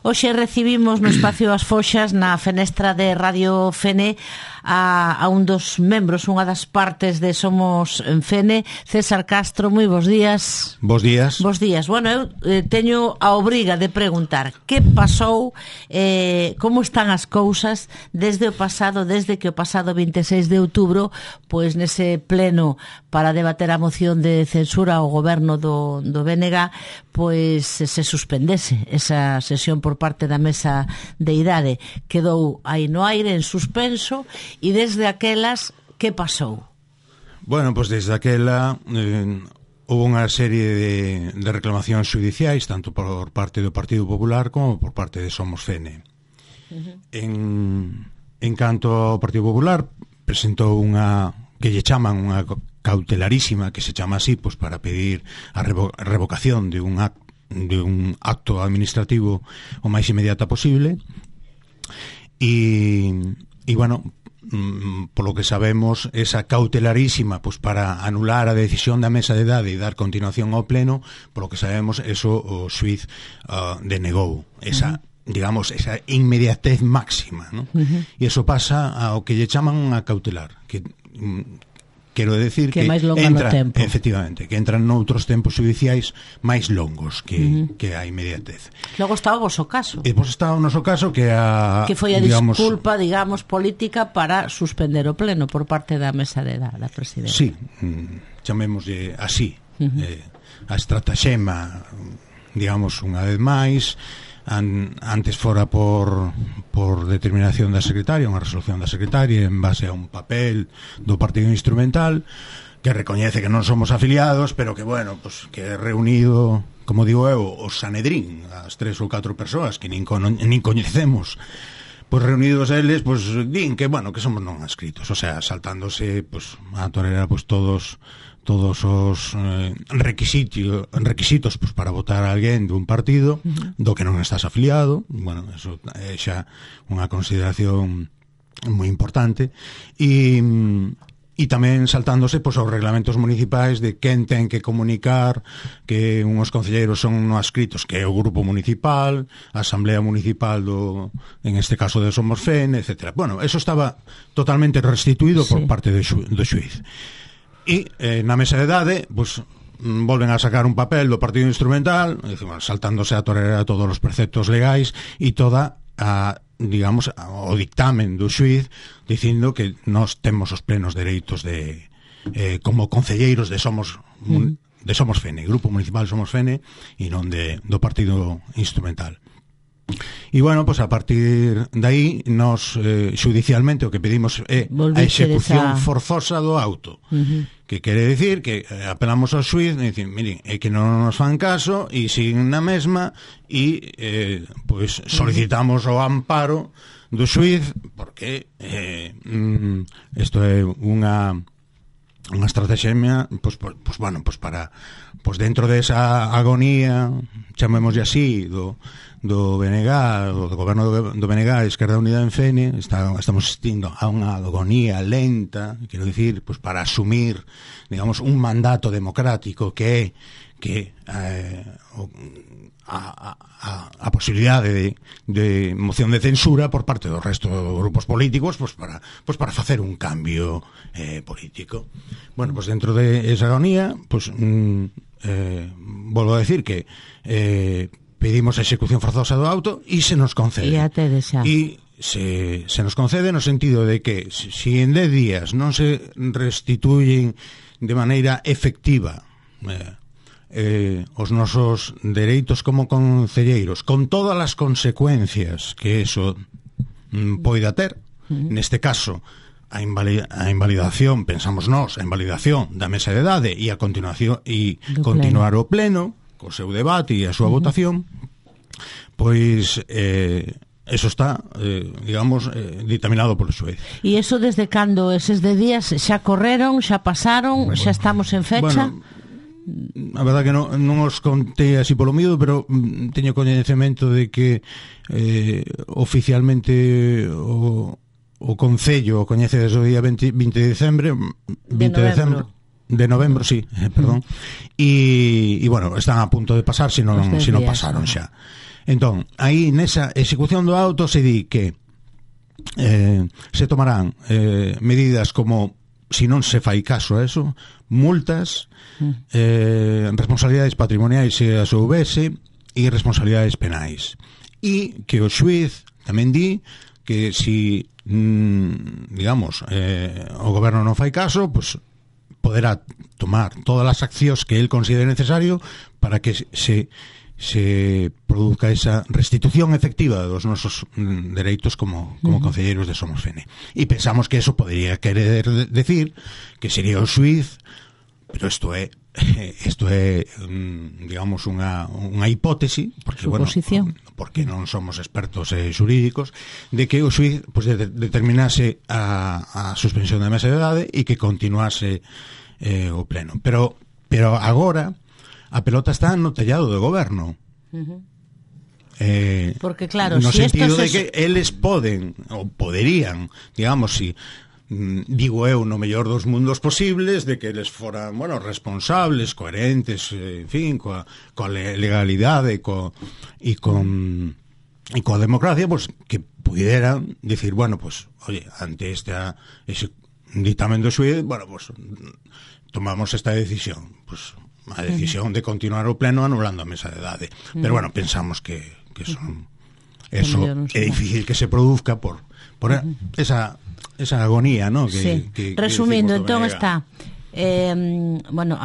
Hoxe recibimos no espacio As Foxas na fenestra de Radio Fene a un dos membros, unha das partes de Somos en Fene, César Castro. Moi bons días. Bos días. Bos días. Bueno, eu teño a obriga de preguntar que pasou, como están as cousas desde que o pasado 26 de outubro, pois nese pleno para debater a moción de censura ao goberno do BNG, pois se suspendese esa sesión por parte da mesa de idade. Quedou aí no aire, en suspenso, e desde aquelas, que pasou? Bueno, pois desde aquela houve unha serie de reclamacións judiciais, tanto por parte do Partido Popular como por parte de Somos Fene. En canto ao Partido Popular, presentou unha que lle chaman unha cautelarísima, que se chama así, pois para pedir a revocación de un acto administrativo o máis inmediata posible. E bueno, polo que sabemos, esa cautelarísima, pois para anular a decisión da mesa de idade e dar continuación ao pleno, polo que sabemos, eso o xuiz denegou esa, digamos, esa inmediatez máxima, ¿no? E iso pasa ao que lle chaman unha cautelar, que quero decir que entra, efectivamente, que entran noutros tempos judiciais máis longos que a inmediatez. Logo está o voso caso. E pois está o noso caso que foi a disculpa, digamos, política para suspender o pleno por parte da mesa da presidencia. Sí, chamémoslle así. A estratagema, digamos, unha vez máis, antes fora por determinación da secretaria, unha resolución da secretaria en base a un papel do partido instrumental que recoñece que non somos afiliados, pero que, bueno, pues, que é reunido, como digo eu, o Sanedrín, as 3 ou 4 persoas que nin coñecemos, pois reunidos eles, pois din que, bueno, que somos non adscritos, o sea, saltándose, pois, a torera, pois, todos os requisitos pois, para votar a alguén dun partido do que non estás afiliado. Bueno, eso é xa unha consideración moi importante. E tamén saltándose pois, aos reglamentos municipais de quen ten que comunicar que unhos concelleiros son no adscritos, que é o grupo municipal, a asamblea municipal en este caso de Somos Fene, etc. Bueno, eso estaba totalmente restituído por parte do xuiz. E na mesa de idade, pues, volven a sacar un papel do partido instrumental, saltándose a torera todos os preceptos legais e toda digamos, o dictamen do xuiz dicindo que nós temos os plenos dereitos como concelleiros de Somos Fene, Grupo Municipal Somos Fene, e non do partido instrumental. E bueno, pues a partir de aí nos xudicialmente o que pedimos é a execución forzosa do auto, que quere decir que apelamos ao xuiz e dicir, miren, é que non nos fan caso e siguen na mesma e pues solicitamos o amparo do xuiz porque isto é unha estrategia, pues bueno, pues para dentro desa agonía, chamémoslle así, do BNG, do goberno do BNG, Esquerda Unida en Fene, estamos asistindo a unha agonía lenta, quero dicir, pues para asumir, digamos, un mandato democrático que a posibilidade de moción de censura por parte do resto dos grupos políticos, pues para facer un cambio político. Bueno, pues dentro de esa agonía, pues volvo a decir que pedimos a execución forzosa do auto e se nos concede. E se nos concede no sentido de que si en 10 días non se restituyen de maneira efectiva os nosos dereitos como concelleiros, con todas as consecuencias que eso poida ter, neste caso a invalidación, pensamos nós, a invalidación da mesa de idade e a continuación e continuar o pleno co seu debate e a súa votación, pois eso está, digamos, dictaminado polo xuez. E eso desde cando eses de días xa correron, xa pasaron, xa estamos en fecha? Bueno, a verdade que non os contei así polo miúdo, pero teño coñecemento de que oficialmente o Concello coñece desde o día 20 de decembre, de novembro, sí, perdón. E bueno, están a punto de pasar, se non pasaron xa. Entón, aí nesa execución do auto se di que se tomarán medidas como, si non se fai caso a eso, multas, responsabilidades patrimoniais se as houvese e responsabilidades penais. E que o xuiz tamén di que si digamos o goberno non fai caso, pues poderá tomar todas as accións que el considere necesario para que se produzca esa restitución efectiva dos nosos dereitos como concelleiros de Somos Fene. E pensamos que eso podría querer decir que sería o xuiz, pero isto é digamos unha hipótese, porque suposición, porque non somos expertos xurídicos, de que o xuiz pues, determinase a suspensión da mesa de edade e que continuase o pleno. Pero agora a pelota está no tellado do goberno. Porque claro, no si sentido esto de que eles poden ou poderían, digamos, si digo eu, no mellor dos mundos posibles, de que eles foran, bueno, responsables, coherentes, en fin, coa legalidade e coa democracia, pues que pudieran decir, bueno, pues, oye, ante ese dictamen do xuiz, bueno, pues tomamos esta decisión, pues a decisión de continuar o pleno anulando a mesa de edade. Pero bueno, pensamos que eso é difícil que se produzca por esa agonía, ¿no? Que resumindo, entón está bueno,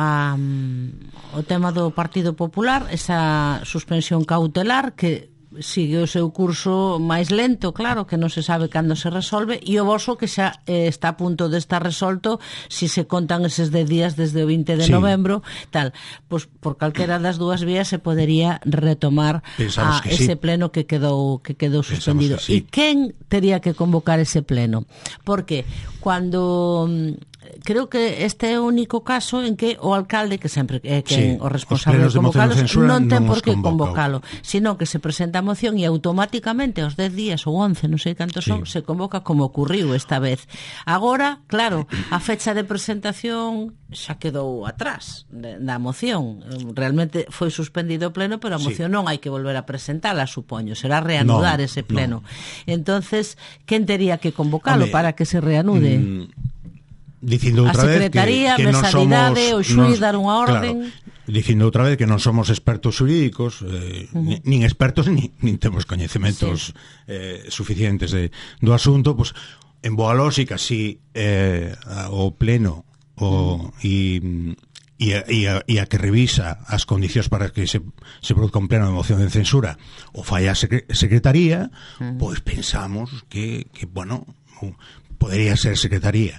o tema do Partido Popular, esa suspensión cautelar que sigue o seu curso máis lento, claro, que non se sabe cando se resolve, e o voso que xa está a punto de estar resolto, si se contan eses 10 días desde o 20 de novembro, tal, pois por calquera das dúas vías se podería retomar ese pleno que quedou suspendido. E quen tería que convocar ese pleno? Porque cando creo que este é o único caso en que o alcalde, que sempre é quen o responsable de convocalos, non ten por que convocalo, sino que se presenta a moción e automáticamente aos 10 días ou 11, non sei cantos son, se convoca como ocurriu esta vez. Agora, claro, a fecha de presentación xa quedou atrás da moción. Realmente foi suspendido o pleno, pero a moción non hai que volver a presentala, supoño, será reanudar ese pleno. Entonces, quen tería que convocalo para que se reanude? Dicindo outra vez que non somos o xuiz dar unha orden, claro, dicindo outra vez que non somos expertos xurídicos, nin expertos nin temos coñecementos suficientes do asunto, pues, en boa lógica si o pleno e a que revisa as condicións para que se produzca un pleno de moción de censura o fai a Secretaría, pois pensamos que bueno, podería ser Secretaría.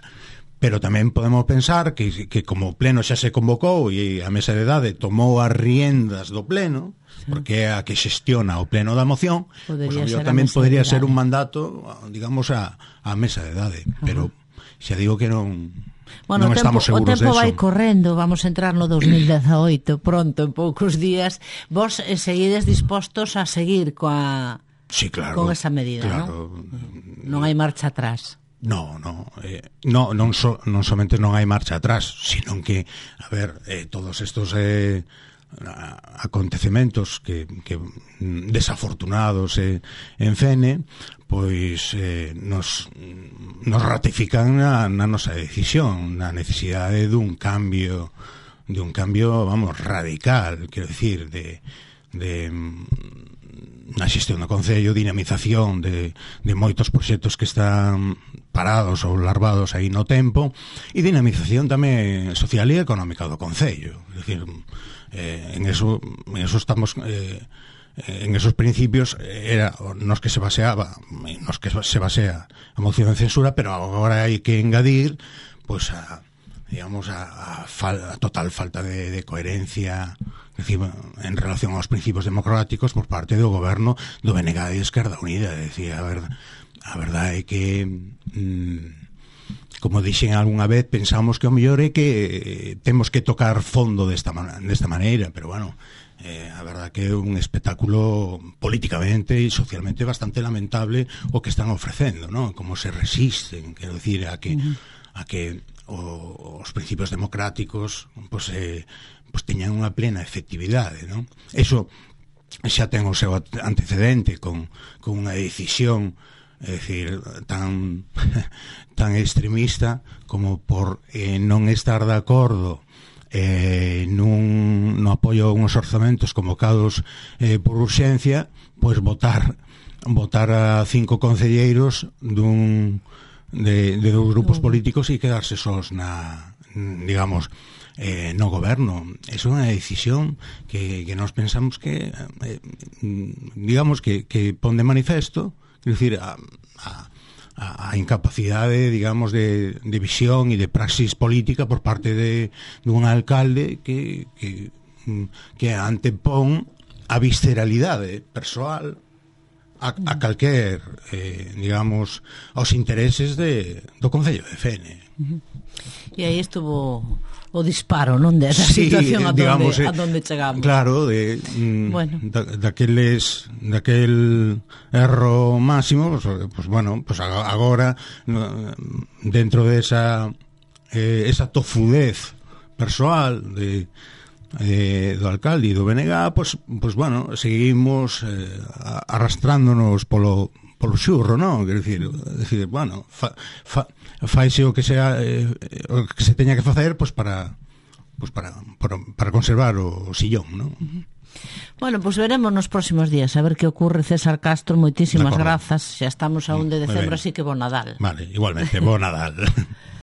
Pero tamén podemos pensar que como o pleno xa se convocou e a mesa de edade tomou as riendas do pleno, porque é a que xestiona o pleno da moción, pues, tamén podría ser un mandato, digamos, a mesa de edade. Pero xa digo que non... Bueno, non estamos seguros o tempo de eso. vai correndo, vamos a entrar no 2018 pronto, en poucos días. Vos seguides dispostos a seguir con esa medida, claro. Non hai marcha atrás. Non somente non hai marcha atrás, sino que, a ver, todos estos acontecementos que desafortunados en Fene, pois nos ratifican na nosa decisión, na necesidade dun cambio, vamos, radical, quero dicir, de na xestión do Concello, dinamización de moitos proxectos que están parados ou larvados aí no tempo, e dinamización tamén social e económica do Concello. É dicir, en eso estamos, en esos principios era nos que se baseaba, nos que se basea a moción de censura, pero agora hai que engadir, pois, digamos, a total falta de coherencia, decir, en relación aos principios democráticos por parte do goberno do BNG e Esquerda Unida. Decir, a verdade é que como dixen algunha vez, pensamos que o mellor é que temos que tocar fondo desta maneira, pero bueno, a verdade que é un espectáculo políticamente e socialmente bastante lamentable o que están ofrecendo, ¿no? Como se resisten, quero dicir, a que os principios democráticos pues teñan unha plena efectividade, ¿no? Eso xa ten o seu antecedente con unha decisión, é dicir, tan extremista como por non estar de acordo no apoio a uns orzamentos convocados por urxencia, pois votar a 5 concelleiros de 2 grupos políticos e quedarse sós digamos, no goberno. É unha decisión que nós pensamos que digamos que pon de manifesto, é dicir, a incapacidade, digamos, de visión e de praxis política por parte dun alcalde que antepón a visceralidade persoal a calquer, digamos, aos intereses do Concello de Fene. E aí estuvo o disparo, non, da situación digamos, a donde chegamos. Claro, bueno, daquel erro máximo, pues bueno, pues agora dentro de esa tofudez persoal do alcalde e do BNG, pues bueno, seguimos arrastrándonos polo xurro, non? Quer decir, bueno, faise o que sea o que se teña que facer, pues para conservar o sillón, non? Bueno, pues veremos nos próximos días a ver que ocurre. César Castro, moitísimas grazas. Xa estamos a 1 de decembro, así que bo Nadal. Vale, igualmente, bo Nadal.